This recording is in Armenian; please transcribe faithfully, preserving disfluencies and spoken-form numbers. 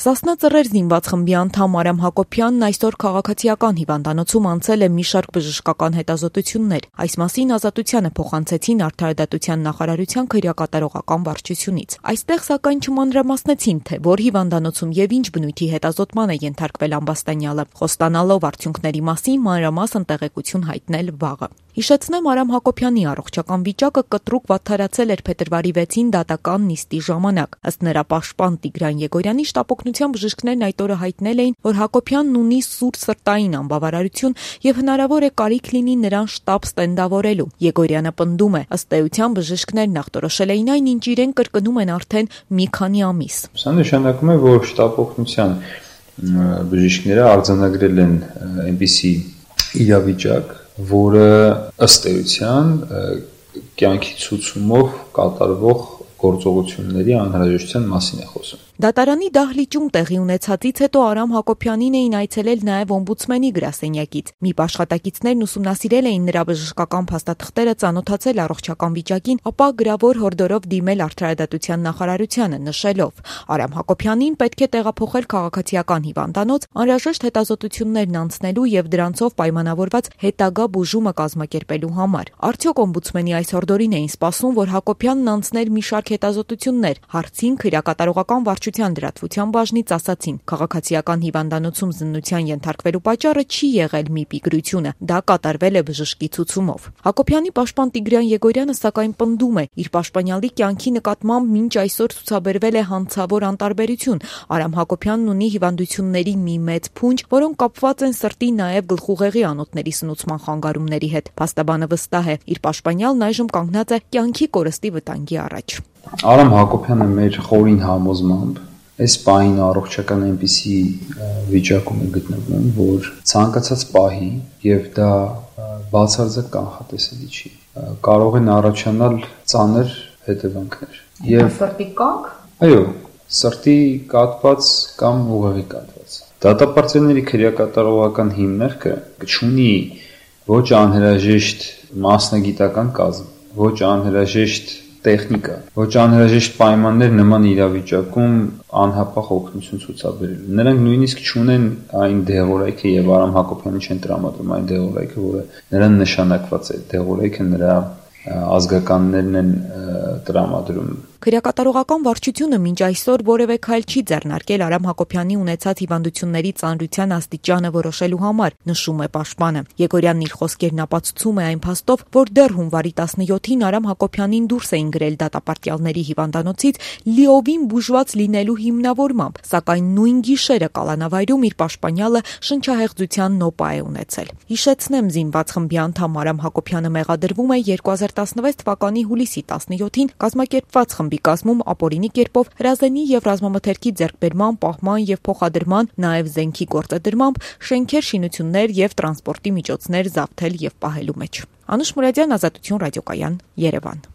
Սասնա Ծռեր զինված խմբի անդամ Արամ Հակոբյանն այսօր քաղաքացիական հիվանդանոցում անցել է մի շարք բժշկական հետազոտություններ։ Այս մասին Ազատությանը փոխանցեցին Արդարադատության նախարարության քրեակատարողական վարչությունից։ Այստեղ սակայն չմանրամասնեցին, թե որ հիվանդանոցում եւ ինչ բնույթի հետազոտման է ենթարկվել ամբաստանյալը, խոստանալով արդյունքների մասին մանրամասն տեղեկություն հայտնել վաղը։ Հիշեցնեմ, Արամ Հակոբյանի առողջական վիճակը կտրուկ վատթարացել էր փետրվարի վեցին դատական նիստի ժամանակ։ Ըստ նրա պաշտպան Տիգրան Եգորյանի, շտապօգնության բժիշկներն այդ օրը հայտնել էին, որ Հակոբյանն ունի սուր սրտային անբավարարություն եւ հնարավոր է կարիք լինի նրան շտապ ստենդավորելու։ Եգորյանը պնդում է, ըստ էության բժիշկներն նախտորոշել էին այն, ինչ իրեն կրկնում են արդեն մի քանի ամիս։ Սա նշանակում է, որ շտապօգնության բժիշկները արձանագրել են այնպիսի իրավիճակ, որը ըստ էության կյանքի ցուցումով կատարվող գործողությունների անհրաժեշտության մասին է խոսում։ Դատարանի դահլիճում տեղի ունեցածից հետո Արամ Հակոբյանին էին այցելել նաև օմբուդսմենի գրասենյակից։ ՄԻՊ աշխատակիցներն ուսումնասիրել էին նրա բժշկական փաստաթղթերը, ծանոթացել առողջական վիճակին, ապա գրավոր հորդորով դիմել Արդարադատության նախարարությանը, նշելով. Արամ Հակոբյանին պետք է տեղափոխել քաղաքացիական հիվանդանոց, անհրաժեշտ հետազոտություններն անցնելու եւ դրանցով պայմանավորված հետագա բուժումը կազմակերպելու համար։ Արդյոք օմբուդսմենի այս հորդորին էին սպասում, որ Հակոբյանն անցներ մի շարք հետազոտություններ, հարցին քրեակատարողական վարչության լրատվության բաժնից ասացին. քաղաքացիական հիվանդանոցում զննության ենթարկվելու պատճառը չի եղել ՄԻՊ-ի գրությունը, դա կատարվել է բժշկի ցուցումով։ Հակոբյանի պաշտպան Տիգրան Եգորյանը սակայն պնդում է, իր պաշտպանյալի կյանքի նկատմամբ մինչ այսօր ցուցաբերվել է հանցավոր անտարբերություն։ Արամ Հակոբյանն ունի հիվանդությունների մի մեծ փունջ, որոնք կապված են սրտի, նաև գլխուղեղի անոթների սնուցման խանգարումների հետ։ Փաստաբանը վստահ է, իր պաշտպանյալն այժմ կանգնած է կյանքի կորստի վտանգի առաջ։ Արամ Հակոբյանը մեր խորին համոզմամբ այս պահին առողջական այնպիսի վիճակում է գտնվում, որ ցանկացած պահի եւ դա բացարձակ կանխատեսելի չի, կարող են առաջանալ ծանր հետևանքներ։ Եվ սրտի կանգ։ Այո, սրտի կաթված կամ ուղեղի կաթված։ Դատապարտյալների քրեակատարողական հիմնարկը չունի ոչ անհրաժեշտ մասնագիտական կազմ, ոչ անհրաժեշտ տեխնիկա, ոչ անհրաժեշտ պայմաններ նման իրավիճակում անհապաղ օգնություն ցուցաբերելու։ Նրանք նույնիսկ չունեն այն դեղորայքը եւ Արամ Հակոբյանի չեն տրամադրում այն դեղորայքը, որը նրան նշանակված է։ Դեղորայքը նրա ազգականներն են տրամադրում։ Քրեակատարողական վարչությունը մինչ այսօր որևէ քայլ չի ձեռնարկել Արամ Հակոբյանի ունեցած հիվանդությունների ծանրության աստիճանը որոշելու համար, նշում է պաշտպանը։ Եգորյանն իր խոսքերն ապացուցում է այն փաստով, որ դեռ հունվարի տասնյոթին Արամ Հակոբյանին դուրս էին գրել դատապարտյալների հիվանդանոցից լիովին բուժված լինելու հիմնավորմամբ, սակայն նույն գիշերը կալանավայրում իր պաշտպանյալը շնչահեղձության նոպա է ունեցել։ Հիշեցնեմ, զինված խմբի անդամ Արամ Հակոբյանը մեղադրվում է երկու հազար տասնվեց թվականի հուլիսի տասնյոթին կազմակերպված խմբի կազմում ապօրինի կերպով հրազենի եւ ռազմամթերքի ձեռքբերման, պահման եւ փոխադրման, նաեւ զենքի գործադրմամբ շենքեր, շինություններ եւ տրանսպորտի միջոցներ զավթել եւ պահելու մեջ։ Անուշ Մուրադյան, Ազատություն ռադիոկայան, Երևան։